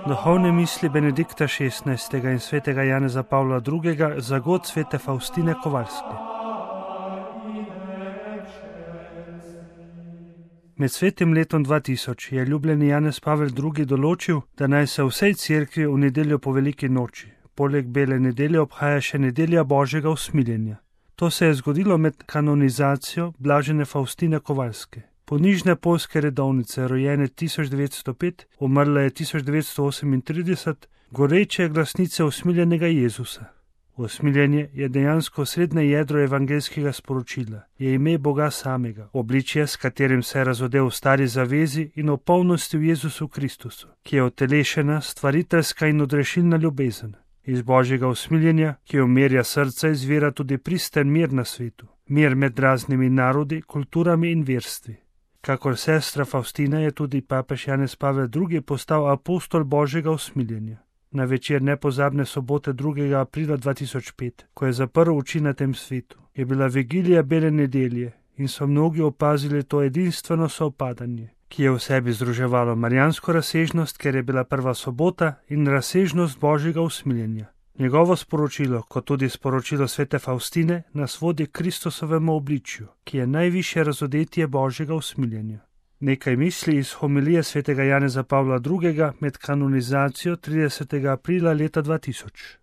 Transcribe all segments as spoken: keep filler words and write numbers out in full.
Duhovne misli Benedikta šestnajstega in svetega Janeza Pavla drugega za god svete Faustine Kovaljske. Med svetim letom dva tisoč je ljubljeni Janez Pavel drugi. določil, da naj se vsej cerkvi v nedeljo po veliki noči, poleg bele nedelje, obhaja še nedelja Božjega usmiljenja. To se je zgodilo med kanonizacijo blažene Faustine Kovaljske. Ponižne poljske redovnice, rojene tisoč devetsto pet, umrla je tisoč devetsto osemintrideset, goreče glasnice usmiljenega Jezusa. Usmiljenje je dejansko srednje jedro evangelskega sporočila, je ime Boga samega, obličje, s katerim se je razodel v stari zavezi in v polnosti v Jezusu Kristusu, ki je utelešena, stvariteljska in odrešilna ljubezen. Iz Božjega usmiljenja, ki umirja srca, izvira tudi pristen mir na svetu, mir med raznimi narodi, kulturami in verstvi. Kakor sestra Faustina je tudi papež Janez Pavel drugi. postal apostol Božjega usmiljenja. Na večer nepozabne sobote drugega aprila dva tisoč pet, ko je zaprl oči na tem svetu, je bila vigilija bele nedelje in so mnogi opazili to edinstveno sovpadanje, ki je v sebi združevalo marijansko razsežnost, ker je bila prva sobota, in razsežnost Božjega usmiljenja. Njegovo sporočilo, kot tudi sporočilo svete Faustine, nas vodi k Kristusovemu obličju, ki je najvišje razodetje Božjega usmiljenja. Nekaj misli iz homilije svetega Janeza Pavla drugega. med kanonizacijo tridesetega aprila leta dva tisoč.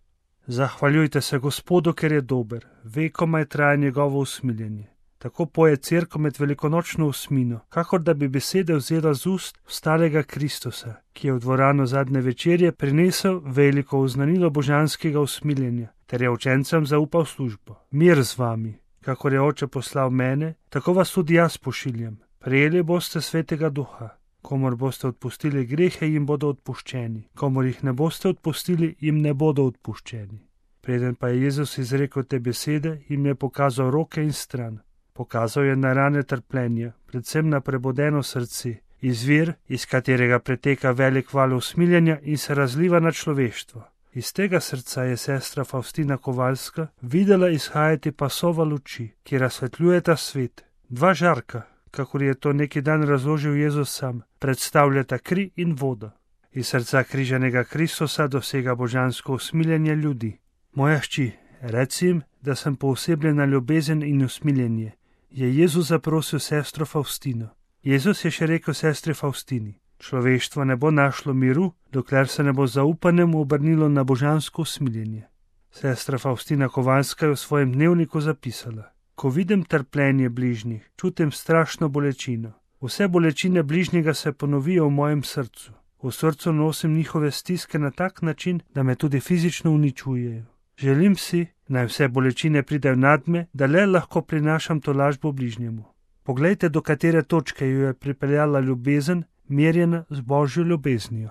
Zahvaljujte se Gospodu, ker je dober, vekomaj traja njegovo usmiljenje. Tako poje cerkev med velikonočno osmino, kakor da bi besede vzela z ust vstalega Kristusa, ki je v dvorano zadnje večerje prinesel veliko oznanilo božanskega usmiljenja, ter je učencem zaupal službo. Mir z vami, kakor je Oče poslal mene, tako vas tudi jaz pošiljam. Prejeli boste svetega duha. Komor boste odpustili grehe, jim bodo odpuščeni. Komor jih ne boste odpustili, jim ne bodo odpuščeni. Preden pa je Jezus izrekel te besede, jim je pokazal roke in stran. Pokazal je na rane trpljenja, predvsem na prebodeno srce, izvir, iz katerega preteka velik val usmiljenja in se razliva na človeštvo. Iz tega srca je sestra Faustina Kovaljska videla izhajati pasova luči, ki razsvetljujeta svet. Dva žarka, kakor je to neki dan razložil Jezus sam, predstavljata kri in vodo. Iz srca križanega Kristusa dosega božansko usmiljenje ljudi. Moja hči, reci jim, da sem poosebljena ljubezen in usmiljenje, je Jezus zaprosil sestro Faustino. Jezus je še rekel sestri Faustini: človeštvo ne bo našlo miru, dokler se ne bo zaupanjem obrnilo na božansko usmiljenje. Sestra Faustina Kovaljska je v svojem dnevniku zapisala: ko vidim trpljenje bližnjih, čutim strašno bolečino. Vse bolečine bližnjega se ponovijo v mojem srcu. V srcu nosim njihove stiske na tak način, da me tudi fizično uničujejo. Želim si, naj vse bolečine pridejo nad me, da le lahko prinašam tolažbo bližnjemu. Poglejte, do katere točke jo je pripeljala ljubezen, merjena z Božjo ljubeznijo.